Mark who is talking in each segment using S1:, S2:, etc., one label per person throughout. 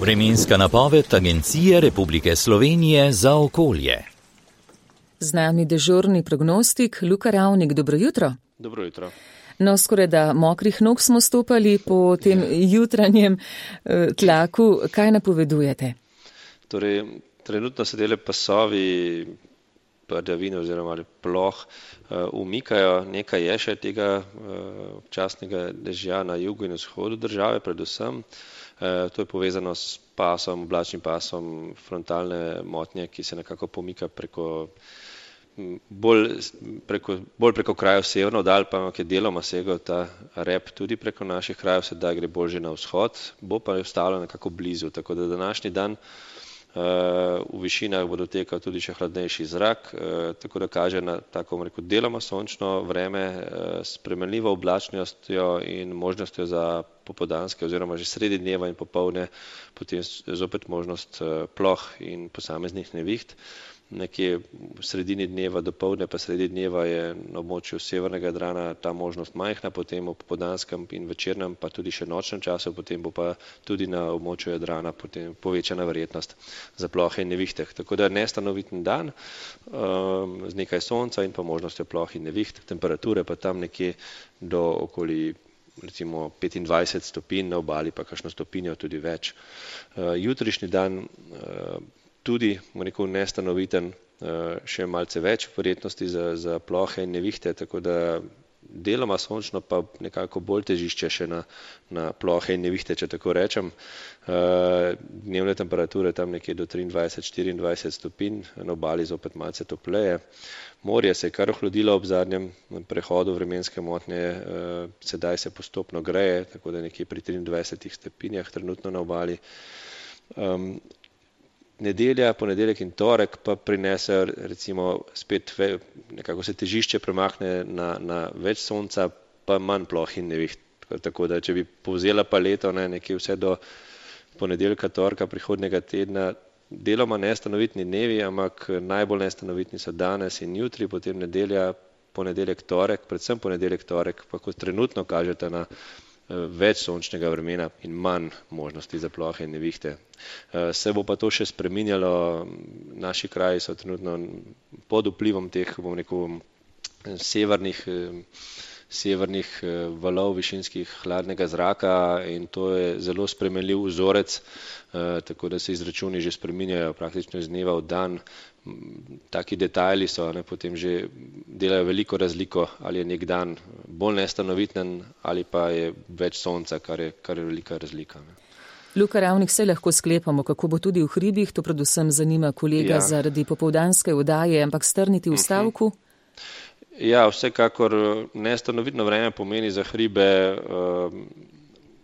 S1: Vremenska napoved Agencije Republike Slovenije za okolje.
S2: Z nami dežurni prognostik Luka Ravnik. Dobro jutro.
S3: Dobro jutro.
S2: No, skoraj da mokrih nog smo stopali po tem jutranjem tlaku. Kaj napovedujete?
S3: Torej, trenutno se dele pasovi padavine oziroma ploh umikajo. Nekaj je še tega občasnega dežja na jugu in vzhodu države predvsem. To je povezano s pasom, oblačnim pasom frontalne motnje, ki se nekako pomika bolj preko krajev severno dalj, pa je deloma segal ta rep tudi preko naših krajev, sedaj gre bolj že na vzhod, bo pa ostalo nekako blizu, tako da današnji dan v višinah bo dotekal tudi še hladnejši zrak, tako da kaže na tako deloma sončno vreme s spremenljivo oblačnostjo in možnostjo za popoldanske oziroma že sredi dneva in popoldne potem zopet možnost ploh in posameznih neviht. Nekje v sredini dneva, dopoldne pa sredi dneva je na območju severnega Jadrana ta možnost majhna, potem v popoldanskem in večernem pa tudi še nočnem času, potem bo pa tudi na območju Jadrana potem povečana verjetnost za plohe in nevihte. Tako da nestanoviten dan z nekaj sonca in pa možnostjo ploh in neviht, temperature pa tam nekje do okoli recimo 25 stopinj, na obali pa kakšno stopinjo tudi več. Jutrišnji dan tudi, nestanoviten, še malce več verjetnosti za plohe in nevihte, tako da deloma sončno pa nekako bolj težišče še na plohe in nevihte, če tako rečem. Dnevne temperature tam nekje do 23-24 stopinj, na obali zopet malce topleje. Morje se je kar ohladilo ob zadnjem prehodu vremenske motnje, sedaj se postopno greje, tako da nekje pri 23 stopinjah trenutno na obali. Nedelja, ponedeljek in torek pa prinesejo recimo spet nekako se težišče premakne na več sonca, pa manj ploh in neviht. Tako da, če bi povzela paleto nekje vse do ponedeljka, torka prihodnjega tedna, deloma nestanovitni dnevi, ampak najbolj nestanovitni so danes in jutri, potem nedelja, ponedeljek, torek, predvsem ponedeljek, torek, pa kot trenutno kažete na več sončnega vremena in manj možnosti za plohe in nevihte. Se bo pa to še spreminjalo, naši kraji so trenutno pod vplivom teh, severnih valov višinskih hladnega zraka in to je zelo spremenljiv vzorec, tako da se izračuni že spreminjajo praktično iz dneva v dan. Taki detajli so, potem že delajo veliko razliko, ali je nek dan bolj nestanoviten ali pa je več sonca, kar je velika razlika.
S2: Luka Ravnik, se lahko sklepamo, kako bo tudi v hribih, to predvsem zanima kolega zaradi popoldanske oddaje, ampak strniti v stavku?
S3: Ja, vsekakor nestanovitno vreme pomeni za hribe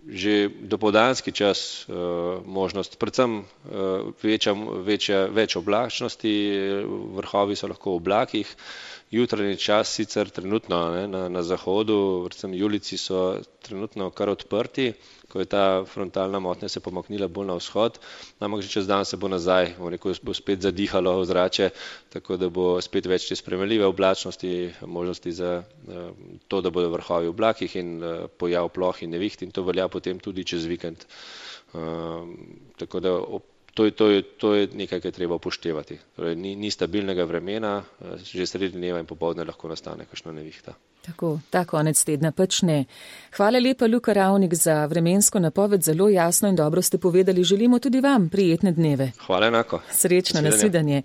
S3: že dopoldanski čas možnost, predvsem več oblačnosti, vrhovi so lahko v oblakih, jutranji čas sicer trenutno na zahodu, predvsem julici so trenutno kar odprti, ko je ta frontalna motnja se pomaknila bolj na vzhod, ampak že čez dan se bo nazaj, bo spet zadihalo ozračje, tako da bo spet več te spremenljive oblačnosti, možnosti za to, da bodo vrhovi v oblakih in pojav ploh in neviht in to velja potem tudi čez vikend. Tako da to je nekaj, kar je treba upoštevati. Torej, ni stabilnega vremena, že sredi dneva in popoldne lahko nastane kakšna nevihta.
S2: Tako, ta konec tedna pač ne. Hvala lepa, Luka Ravnik, za vremensko napoved, zelo jasno in dobro ste povedali. Želimo tudi vam prijetne dneve.
S3: Hvala enako.
S2: Srečno, nasvidenje.